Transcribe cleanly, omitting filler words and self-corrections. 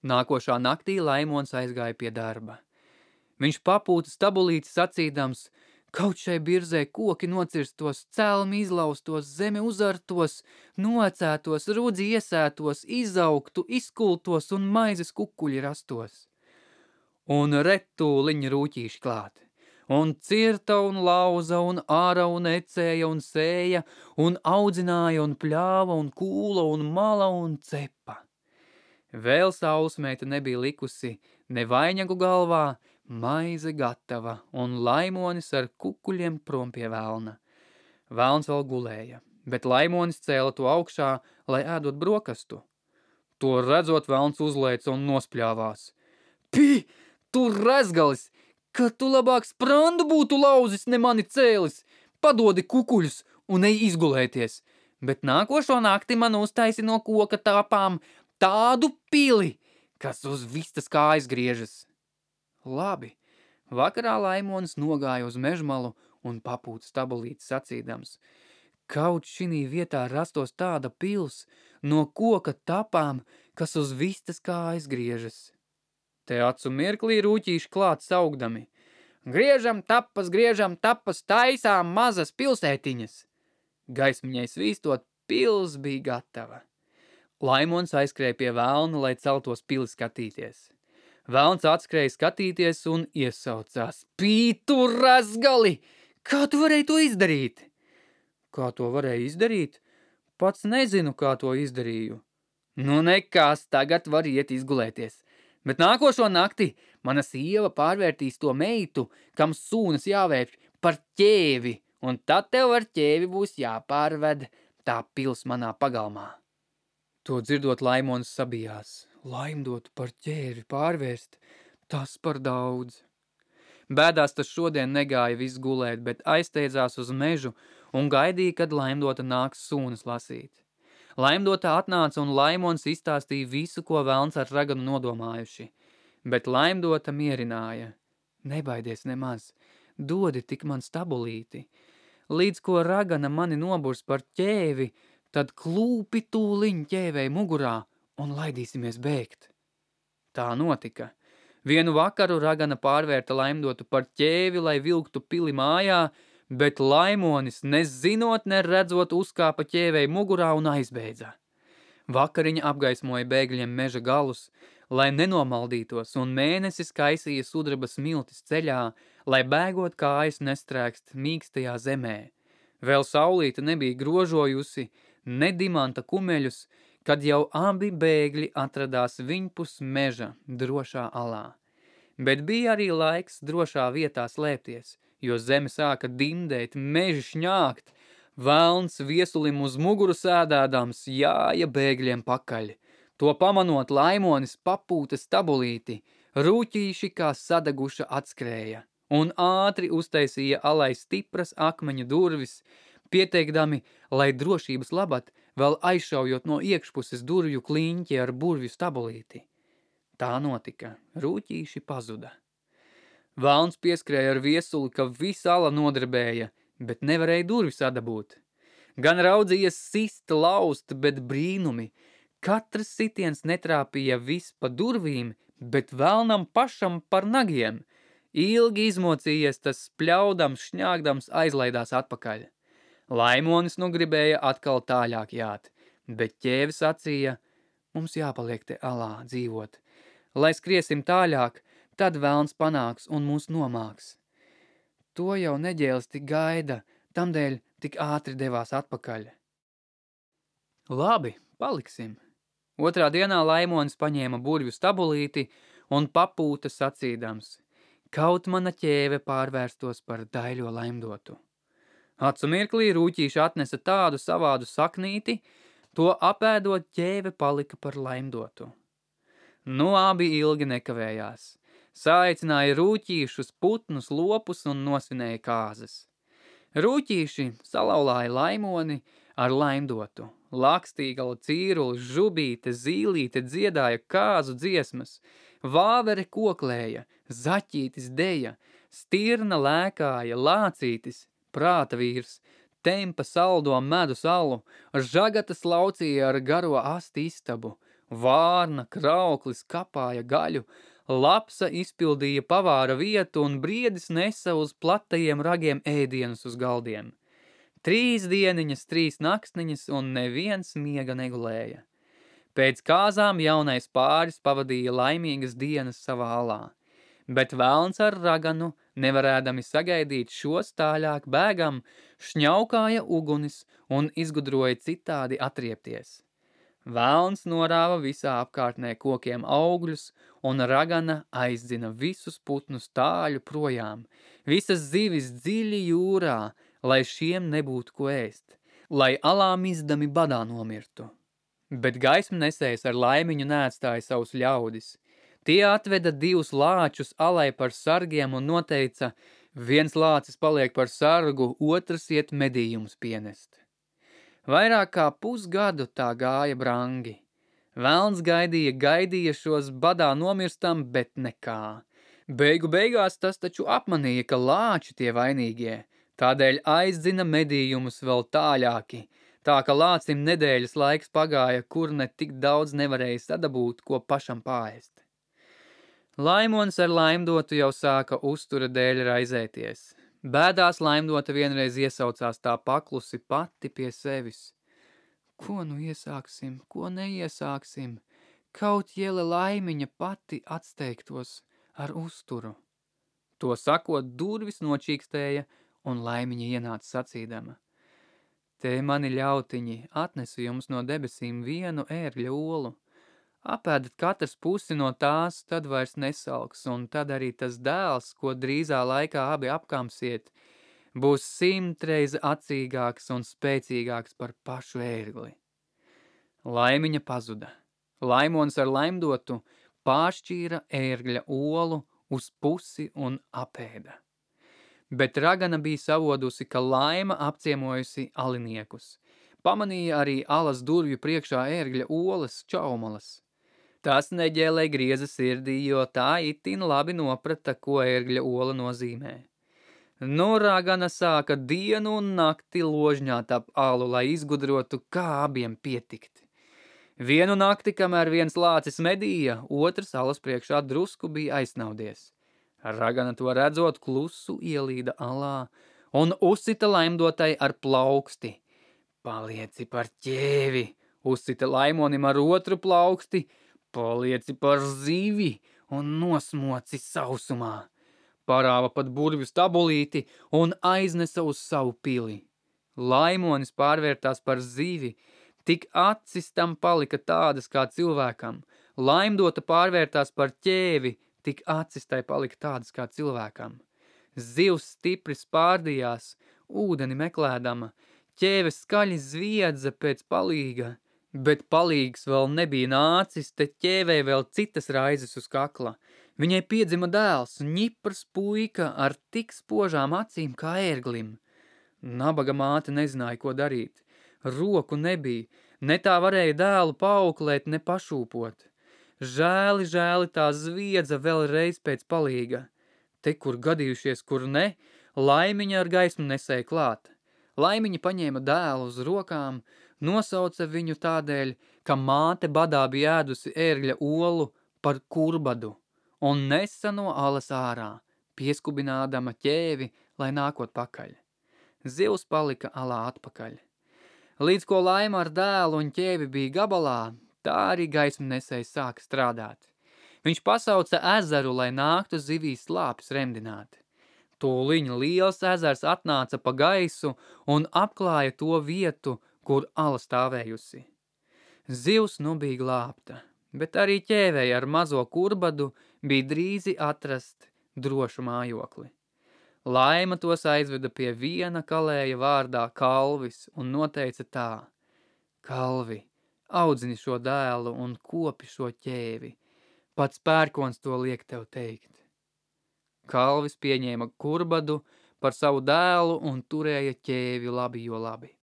Nākošā naktī Laimons aizgāja pie darba. Viņš papūta stabulīti sacīdams, kaut šai birzē koki nocirstos, celmi izlaustos, zeme uzartos, nocētos, rudzi iesētos, izaugtu, izkultos un maizes kukuļi rastos. Un retūliņ rūķīši klāt. Un cirta un lauza un āra un ecēja un sēja un audzināja un pļāva un kūla un mala un cepa. Vēl saulsmeita nebija likusi ne vainagu galvā, maize gatava un Laimonis ar kukuļiem prom pie velna. Velns vēl gulēja, bet Laimonis cēla to augšā, lai ēdot brokastu. To redzot, velns uzlēca un nospļāvās. Pi, tu rezgalis, ka tu labāk sprandu būtu lauzis, ne mani cēlis, padodi kukuļus un ej izgulēties, bet nākošo nakti man uztaisi no koka tāpām tādu pili, kas uz vistas kājas griežas. Labi, vakarā Laimonis nogāja uz mežmalu un papūta stabulīti sacīdams, kaut šinī vietā rastos tāda pils no koka tapām, kas uz vistas kājas griežas. Te acu mirklī rūķīši klāt saugdami. Griežam tapas, taisām mazas pilsētiņas. Gaismiņai svīstot, pils bija gatava. Laimons aizskrēja pie velna, lai celtos pili skatīties. Velns atskrēja skatīties un iesaucās. Pītu razgali! Kā tu varēji to izdarīt? Kā to varēja izdarīt? Pats nezinu, kā to izdarīju. Nu nekas, tagad var iet izgulēties. Bet nākošo nakti mana sieva pārvērtīs to meitu, kam sūnas jāvērš par ķēvi, un tad tev ar ķēvi būs jāpārved tā pils manā pagalmā. To dzirdot Laimons sabijās. Laimdotu par ķēvi pārvērst, tas par daudz. Bēdās tas šodien negāja viss gulēt, bet aizsteidzās uz mežu un gaidīja, kad Laimdota nāks sūnas lasīt. Laimdota atnāca un Laimons izstāstīja visu, ko velns ar raganu nodomājuši, bet Laimdota mierināja. Nebaidies nemaz, dodi tik man stabulīti. Līdz ko ragana mani noburs par ķēvi, tad klūpi tūliņ ķēvei mugurā un laidīsimies bēgt. Tā notika. Vienu vakaru ragana pārvērta Laimdotu par ķēvi, lai vilktu pili mājā, bet Laimonis, nezinot, neredzot, uzkāpa ķēvei mugurā un aizbeidza. Vakariņa apgaismoja bēgļiem meža galus, lai nenomaldītos, un mēnesis kaisīja sudraba smiltis ceļā, lai bēgot kājas nestrēkst mīkstajā zemē. Vēl saulīte nebija grožojusi, ne dimanta kumeļus, kad jau abi bēgļi atradās viņpus meža drošā alā. Bet bija arī laiks drošā vietā slēpties, jo zeme sāka dimdēt, meži šņākt. Velns viesulim uz muguru sēdādams jāja bēgļiem pakaļ. To pamanot, Laimonis papūta stabulīti, rūķīši kā sadaguša atskrēja, un ātri uztaisīja alai stipras akmeņu durvis, pieteikdami, lai drošības labad vēl aizšaujot no iekšpuses durvju kliņķi ar burvju stabulīti. Tā notika, rūķīši pazuda. Velns pieskrēja ar viesuli, ka visa ala nodarbēja, bet nevarēja durvis adabūt. Gan raudzījies sist, laust, bet brīnumi. Katrs sitiens netrāpīja vis pa durvīm, bet velnam pašam par nagiem. Ilgi izmocījies tas spļaudams, šņāgdams aizlaidās atpakaļ. Laimonis nu gribēja atkal tāļāk jāt, bet ķēvis sacīja, mums jāpaliek te alā dzīvot. Lai skriesim tāļāk, tad velns panāks un mūs nomāks. To jau neģēlis tik gaida, tamdēļ tik ātri devās atpakaļ. Labi, paliksim. Otrā dienā Laimonis paņēma burvju stabulīti un papūta sacīdams, kaut mana ķēve pārvērstos par daļo Laimdotu. Acu mirklī rūķīši atnesa tādu savādu saknīti, to apēdot ķēve palika par Laimdotu. Nu abi ilgi nekavējās. Saaicināja rūķīšus, putnus, lopus un nosvinēja kāzas. Rūķīši salauzāja Laimoni ar Laimdotu. Lakstīgala, cīrulis, žubīte, zīlīte dziedāja kāzu dziesmas, vāvere koklēja, zaķītis deja, stirna lēkāja, lācītis, prāta vīrs, tempa saldo medu salu, žagatas laucīja ar garo asti istabu, Vārna, krauklis kapāja gaļu, lapsa izpildīja pavāra vietu un briedis nesa uz platajiem ragiem ēdienus uz galdiem. 3 dieniņas, 3 naktsniņas un neviens miega negulēja. Pēc kāzām jaunais pāris pavadīja laimīgas dienas savā alā, bet velns ar raganu, nevarēdami sagaidīt šos tāļāk bēgam, šņaukāja ugunis un izgudroja citādi atriepties. Velns norāva visā apkārtnē kokiem augļus, un ragana aizdzina visus putnus tāļu projām, visas zivis dziļi jūrā, lai šiem nebūtu ko ēst, lai alā mizdami badā nomirtu. Bet gaismu nesējs ar laimiņu neatstāja savus ļaudis. Tie atveda 2 lāčus alai par sargiem un noteica, viens lācis paliek par sargu, otrs iet medījumus pienest. Vairāk kā pusgadu tā gāja brangi. Velns gaidīja šos badā nomirstam, bet nekā. Beigu beigās tas taču apmanīja, ka lāči tie vainīgie, tādēļ aizdzina medījumus vēl tāļāki, tā ka lācim nedēļas laiks pagāja, kur ne tik daudz nevarēja sadabūt, ko pašam pāēst. Laimonis ar Laimdotu jau sāka uztura dēļ raizēties. Bēdās Laimdota vienreiz iesaucās tā paklusi pati pie sevis. Ko nu iesāksim, ko neiesāksim? Kaut jēle Laimiņa pati atsteigtos ar uzturu. To sakot, durvis nočīkstēja un Laimiņa ienāca sacīdama. Te mani ļautiņi, atnesu jums no debesīm vienu ērgļa olu. Apēdat katrs pusi no tās, tad vairs nesalks, un tad arī tas dēls, ko drīzā laikā abi apkamsiet, būs 100 reiz acīgāks un spēcīgāks par pašu ērgli. Laimiņa pazuda. Laimonis ar Laimdotu pāršķīra ērgļa olu uz pusi un apēda. Bet ragana bija savodusi, ka Laima apciemojusi aliniekus. Pamanīja arī alas durvju priekšā ērgļa olas čaumalas. Tas neģēlē grieza sirdī, jo tā itin labi noprata, ko ērgļa ola nozīmē. Nu, ragana sāka dienu un nakti ložņāt ap alu, lai izgudrotu, kā abiem pietikt. Vienu nakti, kamēr viens lācis medīja, otrs alas priekšā drusku bija aizsnaudies. Ragana to redzot, klusu ielīda alā un uzsita Laimdotai ar plauksti. Palieci par ķēvi, uzsita Laimonim ar otru plauksti, palieci par zivi un nosmoci sausumā. Parāva pat burvju stabulīti un aiznesa uz savu pili. Laimonis pārvērtās par zivi, tik acis tam palika tādas kā cilvēkam. Laimdota pārvērtās par ķēvi, tik acis tai palika tādas kā cilvēkam. Zivs stipri spārdījās, ūdeni meklēdama, ķēve skaļi zviedza pēc palīga, bet palīgs vēl nebija nācis, te ķēvē vēl citas raizes uz kakla. Viņai piedzima dēls, ņiprs puika ar tik spožām acīm kā ērglim. Nabaga māte nezināja, ko darīt. Roku nebija, ne tā varēja dēlu paauklēt, ne pašūpot. Žēli tā zviedza vēlreiz pēc palīga. Te, kur gadījušies, kur ne, Laimiņa ar gaismu nesēja klāt. Laimiņa paņēma dēlu uz rokām, nosauca viņu tādēļ, ka māte badā bija ēdusi ērgļa olu par kurbadu un nesa no alas ārā, pieskubinādama ķēvi, lai nākot pakaļ. Zivs palika alā atpakaļ. Līdz ko Laima ar dēlu un ķēvi bija gabalā, tā arī gaismu nesējs sāka strādāt. Viņš pasauca ezeru, lai nāktu zivīs slāpes remdināt. Tūliņ liels ezers atnāca pa gaisu un apklāja to vietu, kur ala stāvējusi. Zivs nu bija glābta, bet arī ķēvei ar mazo kurbadu bija drīzi atrast drošu mājokli. Laima tos aizveda pie viena kalēja vārdā Kalvis un noteica tā: Kalvi, audzini šo dēlu un kopi šo ķēvi. Pats pērkons to liek tev teikt. Kalvis pieņēma kurbadu par savu dēlu un turēja ķēvi labi jo labi.